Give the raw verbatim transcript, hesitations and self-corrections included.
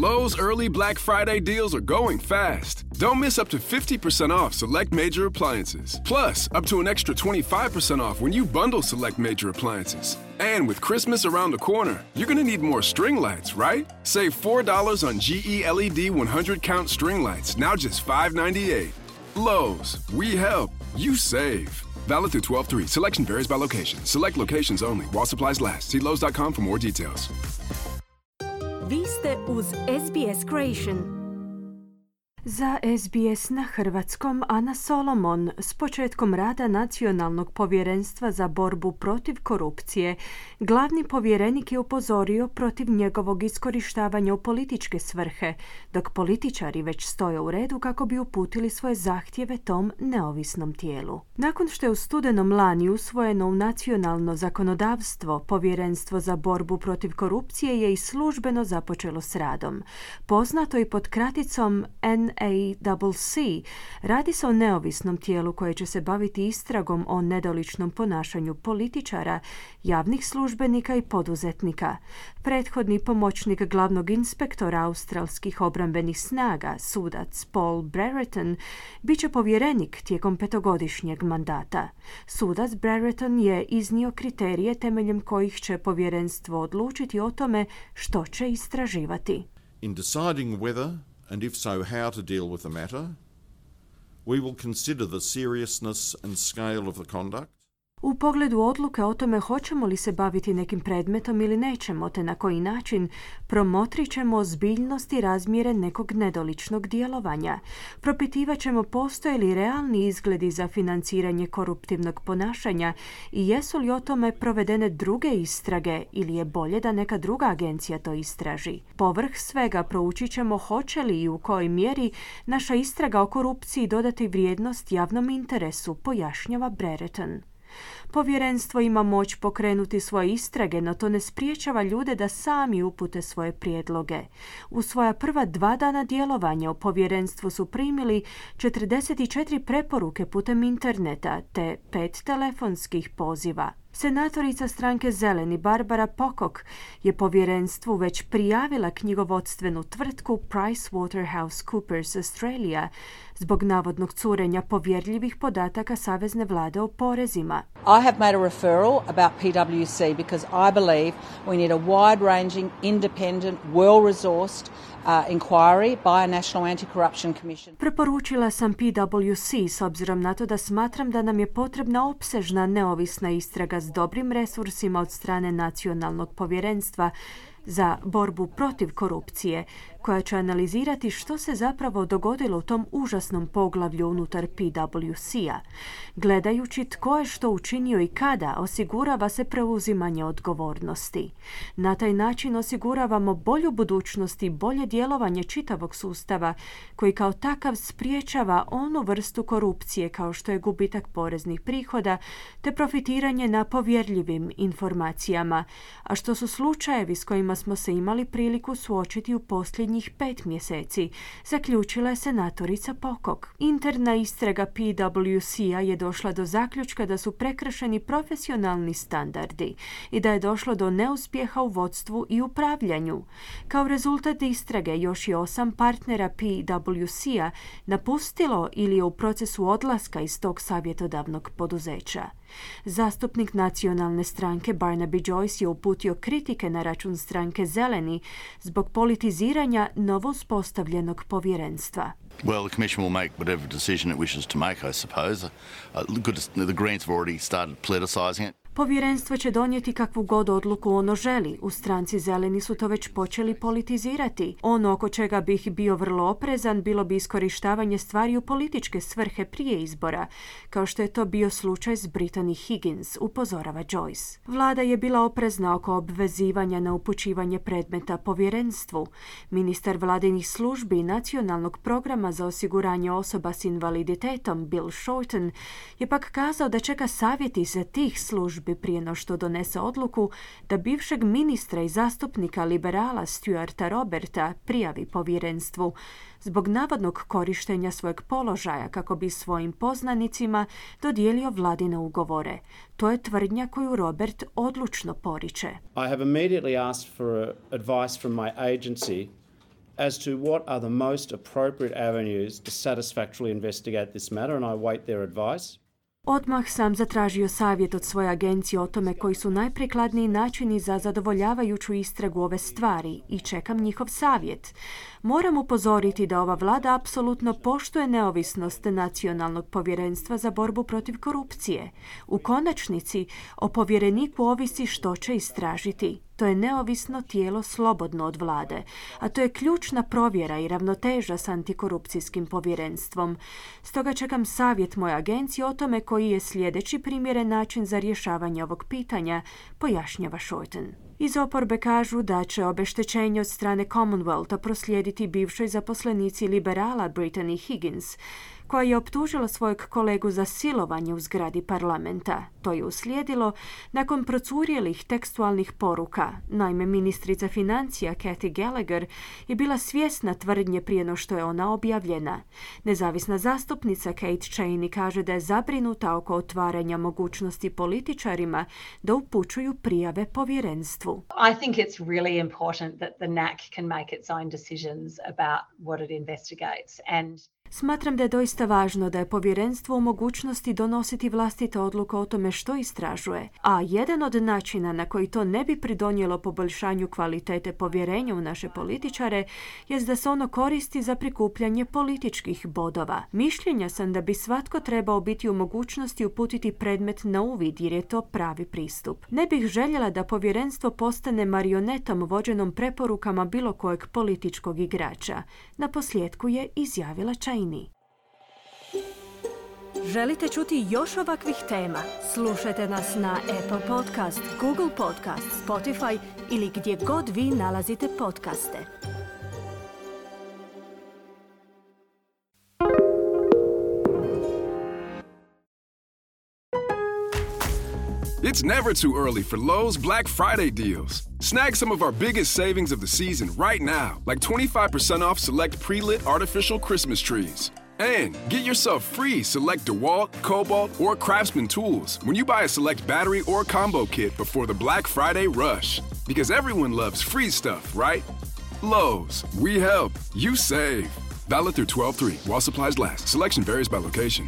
Lowe's early Black Friday deals are going fast. Don't miss up to fifty percent off select major appliances. Plus, up to an extra twenty-five percent off when you bundle select major appliances. And with Christmas around the corner, you're gonna need more string lights, right? Save four dollars on G E L E D one hundred count string lights, now just five ninety-eight. Lowe's, we help, you save. Valid through twelve three. Selection varies by location. Select locations only. While supplies last. See Lowe's dot com for more details. Vi ste uz S B S Creation. Za S B S na hrvatskom Ana Solomon s početkom rada Nacionalnog povjerenstva za borbu protiv korupcije. Glavni povjerenik je upozorio protiv njegovog iskorištavanja u političke svrhe, dok političari već stoje u redu kako bi uputili svoje zahtjeve tom neovisnom tijelu. Nakon što je u studenom lani usvojeno u nacionalno zakonodavstvo, Povjerenstvo za borbu protiv korupcije je i službeno započelo s radom. Poznato i pod kraticom N A C C, radi se o neovisnom tijelu koje će se baviti istragom o nedoličnom ponašanju političara, javnih službenika i poduzetnika. Prethodni pomoćnik glavnog inspektora australskih obrambenih snaga, sudac Paul Brereton, bit će povjerenik tijekom petogodišnjeg mandata. Sudac Brereton je iznio kriterije temeljem kojih će povjerenstvo odlučiti o tome što će istraživati. In deciding whether and if so how to deal with the matter, we will consider the seriousness and scale of the conduct. U pogledu odluke o tome hoćemo li se baviti nekim predmetom ili nećemo, te na koji način, promotrit ćemo ozbiljnost i razmjere nekog nedoličnog djelovanja. Propitivat ćemo postoje li realni izgledi za financiranje koruptivnog ponašanja i jesu li o tome provedene druge istrage ili je bolje da neka druga agencija to istraži. Povrh svega proučit ćemo hoće li i u kojoj mjeri naša istraga o korupciji dodati vrijednost javnom interesu, pojašnjava Brereton. Povjerenstvo ima moć pokrenuti svoje istrage, no to ne spriječava ljude da sami upute svoje prijedloge. U svoja prva dva dana djelovanja u povjerenstvu su primili četrdeset četiri preporuke putem interneta te pet telefonskih poziva. Senatorica stranke Zeleni Barbara Pocock je povjerenstvu već prijavila knjigovodstvenu tvrtku PricewaterhouseCoopers Australia zbog navodnog curenja povjerljivih podataka Savezne vlade o porezima. I have made a referral about P W C because I believe we need a wide-ranging, independent, well-resourced uh, inquiry by a National Anti-Corruption Commission. Preporučila sam P W C s obzirom na to da smatram da nam je potrebna opsežna neovisna istraga s dobrim resursima od strane Nacionalnog povjerenstva za borbu protiv korupcije, koja će analizirati što se zapravo dogodilo u tom užasnom poglavlju unutar P W C-a. Gledajući tko je što učinio i kada, osigurava se preuzimanje odgovornosti. Na taj način osiguravamo bolju budućnost i bolje djelovanje čitavog sustava, koji kao takav spriječava onu vrstu korupcije kao što je gubitak poreznih prihoda te profitiranje na povjerljivim informacijama, a što su slučajevi s kojima smo se imali priliku suočiti u posljednjih pet mjeseci, zaključila je senatorica Pocock. Interna istraga P W C-a je došla do zaključka da su prekršeni profesionalni standardi i da je došlo do neuspjeha u vodstvu i upravljanju. Kao rezultat istrage još i osam partnera P W C-a napustilo ili je u procesu odlaska iz tog savjetodavnog poduzeća. Zastupnik nacionalne stranke Barnaby Joyce je uputio kritike na račun stranke Zeleni zbog politiziranja novospostavljenog povjerenstva. Well, the Commission will make whatever decision it wishes to make, I suppose. Uh, good, the Greens have already started politicising it. Povjerenstvo će donijeti kakvu god odluku ono želi. U stranci Zeleni su to već počeli politizirati. Ono oko čega bih bio vrlo oprezan bilo bi iskorištavanje stvari u političke svrhe prije izbora, kao što je to bio slučaj s Brittany Higgins, upozorava Joyce. Vlada je bila oprezna oko obvezivanja na upućivanje predmeta povjerenstvu. Ministar vladinih službi i nacionalnog programa za osiguranje osoba s invaliditetom Bill Shorten je pak kazao da čeka savjeti za tih službi prije no što donese odluku da bivšeg ministra i zastupnika liberala Stuarta Roberta prijavi povjerenstvu zbog navodnog korištenja svojeg položaja kako bi svojim poznanicima dodijelio vladine ugovore. To je tvrdnja koju Robert odlučno poriče. I have immediately asked for advice from my agency as to what are the most appropriate avenues to satisfactorily investigate this matter, and I await their advice. Odmah sam zatražio savjet od svoje agencije o tome koji su najprikladniji načini za zadovoljavajuću istragu ove stvari i čekam njihov savjet. Moram upozoriti da ova vlada apsolutno poštuje neovisnost Nacionalnog povjerenstva za borbu protiv korupcije. U konačnici, o povjereniku ovisi što će istražiti. To je neovisno tijelo slobodno od vlade, a to je ključna provjera i ravnoteža s antikorupcijskim povjerenstvom. Stoga čekam savjet moje agencije o tome koji je sljedeći primjeren način za rješavanje ovog pitanja, pojašnjava Shorten. Iz oporbe kažu da će obeštećenje od strane Commonwealtha proslijediti bivšoj zaposlenici liberala Brittany Higgins, koja je optužila svojeg kolegu za silovanje u zgradi parlamenta. To je uslijedilo nakon procurjelih tekstualnih poruka. Naime, ministrica financija Kathy Gallagher je bila svjesna tvrdnje prije no što je ona objavljena. Nezavisna zastupnica Kate Cheney kaže da je zabrinuta oko otvaranja mogućnosti političarima da upućuju prijave povjerenstvu. I think it's really important that the N A C can make its own decisions about what it investigates, and Smatram da je doista važno da je povjerenstvo u mogućnosti donositi vlastite odluke o tome što istražuje, a jedan od načina na koji to ne bi pridonijelo poboljšanju kvalitete povjerenja u naše političare jest da se ono koristi za prikupljanje političkih bodova. Mišljenja sam da bi svatko trebao biti u mogućnosti uputiti predmet na uvid jer je to pravi pristup. Ne bih željela da povjerenstvo postane marionetom vođenom preporukama bilo kojeg političkog igrača. Na posljedku je izjavila Cheney. Želite čuti još ovakvih tema? Slušajte nas na Apple Podcast, Google Podcast, Spotify ili gdje god vi nalazite podcaste. It's never too early for Lowe's Black Friday deals. Snag some of our biggest savings of the season right now, like twenty-five percent off select pre-lit artificial Christmas trees. And get yourself free select DeWalt, Cobalt, or Craftsman tools when you buy a select battery or combo kit before the Black Friday rush. Because everyone loves free stuff, right? Lowe's, we help, you save. Valid through twelve three while supplies last. Selection varies by location.